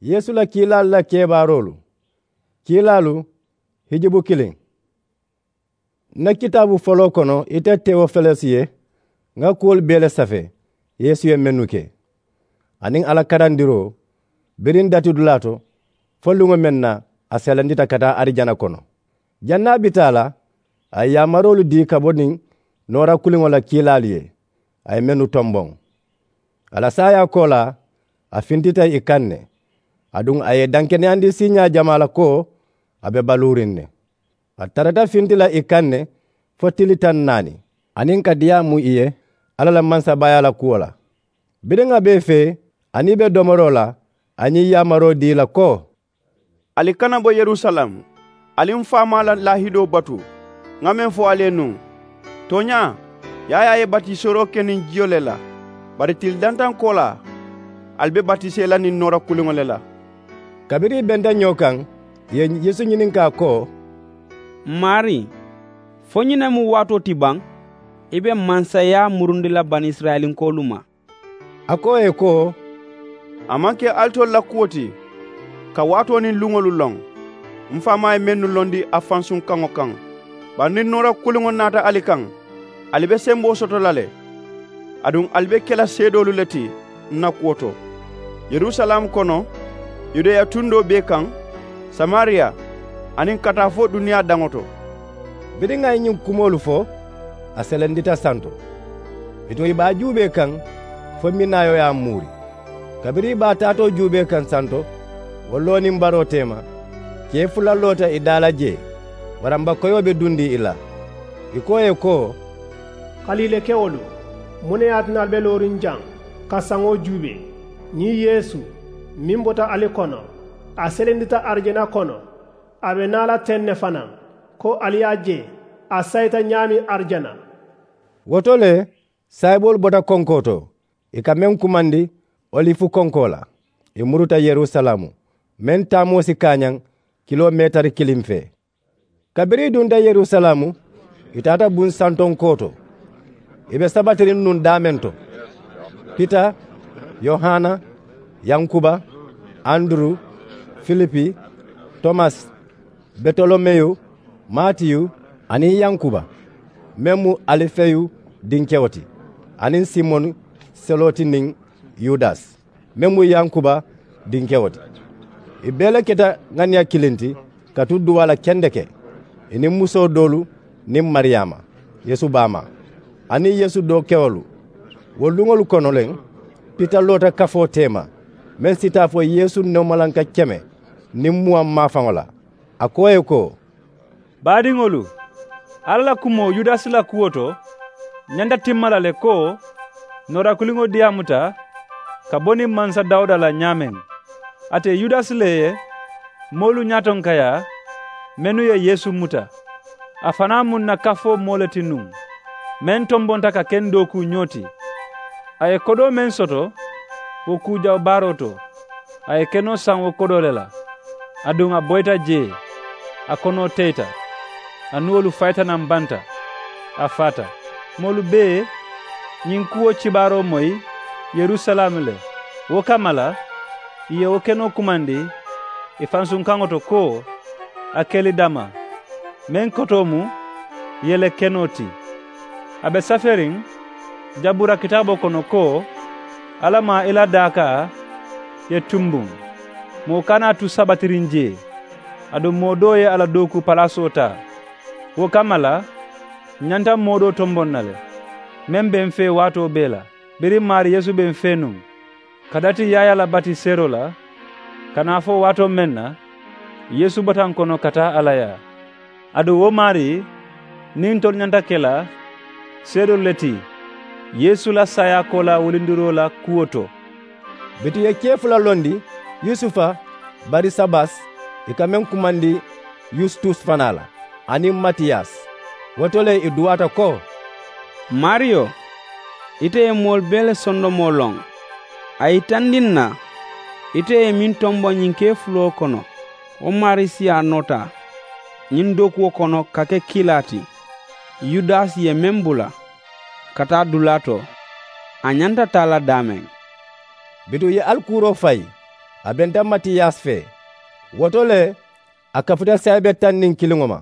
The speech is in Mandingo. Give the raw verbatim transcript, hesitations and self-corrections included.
Yeesu la kiilaalu la kebaaroolu. Kiilaalu hijubu kiliŋ. N na kitaabu foloo kono ite tewofelesi ye ŋa kuwolu bee le safee yeesu ye mennu ke, aniŋ a la karandiroo biriŋ datidulaa to, fo luŋo meŋ na a selendita ka taa arijana kono. Janniŋ a bi taa la, a ye yaamaroolu dii ka bo niŋ noora kuliŋo la kiilaalu ye, a ye mennu tomboŋ. A la saayaa koolaa, a fintita ì kaŋ ne. Aduŋ a ye ì dankeneyandi siiñaa jamaa la ko a be baluuriŋ ne. A tarata finti la ì kaŋ ne fo tili taŋ naani, aniŋ ka diyaamu ì ye alla la mansabaayaa la kuwo la. Biriŋ a be ì fee aniŋ ì be domoroo la, a ye ñiŋ yaamaroo dii ì la ko, ali kana bo yerusalem, ali m faamaa la laahidoo batu ŋa meŋ fo ali ye nuŋ. Tooñaa, yaayaa ye batiseeroo ke niŋ jiyo le la, bari tili dantaŋ koolaa ali be batisee la niŋ noora kuliŋo le la. Kabiriŋ ì benta ñoo kaŋ, ì ye yeesu ñininkaa ko, m maarii, fo ñiŋ ne mu waatoo ti baŋ i be mansayaa murundi la banisirayilinkoolu ma? A ko ì ye ko, a maŋ ke alitolu la kuwo ti ka waatoo niŋ luŋolu loŋ. M faamaa ye mennu londi a fansuŋ kaŋo kaŋ. Bari niŋ noora kuliŋo naata ali kaŋ, ali be semboo soto la le. Aduŋ ali be ke la seedoolu le ti n na kuwo to, yerusalem kono, yudeya tundoo bee kaŋ, samariya, aniŋ ka taa fo duniyaa daŋo to. Biriŋ a ye ñiŋ kumoolu fo, a selendita santo. Bituŋ ì be a juubee kaŋ fo minaayo ye a muuri. Kabiriŋ ì be a taatoo juubee kaŋ santo, wo loo niŋ baroo teema, kee fula loota ì daa la jee, waranba koyoo be dundiŋ ì la. Ì ko ì ye ko, kaliilekewolu, muŋ ne ye a tinna ali be looriŋ jaŋ ka saŋo juubee? Ñiŋ yeesu meŋ bota ali kono, a selendita arijana kono. A be naa la teŋ ne fanaa, ko ali ye a je a sayita ñaameŋ arijana. Wo to le, saayiboolu bota konkoo to, ì ka meŋ kumandi olifu konkoo la. Ì muruta yerusalaamu, meŋ taamoo si kaañaŋ kiloo meetari kiliŋ fee. Kabiriŋ ì dunta yerusalaamu, ì taata buŋ santonkoo to. Ì be sabatiriŋ nuŋ daameŋ to, pita, yohana, yankuba, anduru, filipi, tomasi, betolomeyu, matiyu, aniŋ yankuba meŋ mu alifeyu dinkewo ti, aniŋ simoni seloti niŋ yudasi meŋ mu yankuba dinkewo ti. Ì bee le keta ŋaniya kiliŋ ti ka tu duwaa la kendeke, ì niŋ musoo doolu niŋ mariyaama, yeesu baamaa, aniŋ yeesu dookewolu. Wo luŋolu kono le, pita loota kafoo teema, meŋ si taa fo yeesu neemalanka keme niŋ muwaŋ maafaŋo la. A ko ì ye ko, baadiŋolu, alla la kumoo yudasi la kuwo to ñanta timma la le ko, noorakuliŋo diyaamuta ka bo niŋ mansa dawuda la ñaameŋ. Ate yudasi le ye moolu ñaatonkayaa mennu ye yeesu muta. A fanaa mu n na kafoo moo le ti nuŋ, meŋ tombonta ka ke n dookuu ñoo ti. A ye kodoo meŋ soto wo kuu jawu baaroo to, a ye kenoo saŋ wo kodoo le la. Aduŋ a boyita jee, a konoo teyita, a nuwolu fayita naŋ banta, a faata. Moolu bee ñiŋ kuwo kibaaroo moyi yerusalaamu le. Wo kamma la, ì ye wo kenoo kumandi ì fansuŋ kaŋo to ko, akelidama, meŋ kotoo mu yele kenoo ti. A be saferiŋ jabura kitaaboo kono ko, alla maŋ i la daakaa ye tumbuŋ, moo kana a tu sabatiriŋ jee. Aduŋ moo doo ye a la dookuu palaasoo taa. Wo kamma la, ǹ ñanta moo doo tomboŋ na le, meŋ be m̀ fee waatoo bee la. Biriŋ maarii yeesu be m̀ fee nuŋ, ka dati yaayaa la batiseeroo la, ka naa fo waatoo meŋ na, yeesu bota ǹ kono ka taa a la yaa. Aduŋ wo maarii, niŋ ntolu ñanta ke la seedoolu le ti yeesu la saayaa koolaa wulindiroo la kuwo to. Bituŋ ì ye kee fula londi, yusufa, barisabasi, ì ka meŋ kumandi yusitusi fanaa la, aniŋ matiyasi. Wo to le ì duwaata ko, maariyo, ite ye moolu bee le sondomoo loŋ. A yitandi ǹ na ite ye meŋ tomboŋ ñiŋ kee fuloo kono, wo maarii siyaa noota ñiŋ dookuwo kono ka ke kiilaa ti. Yudasi ye meŋ bula ka taa dulaa to, a ñanta taa la daameŋ. Bituŋ ì ye alikuuroo fayi, A benta matiyasi fee. Wo to le, a kafuta sayibee taŋ niŋ kiliŋo ma.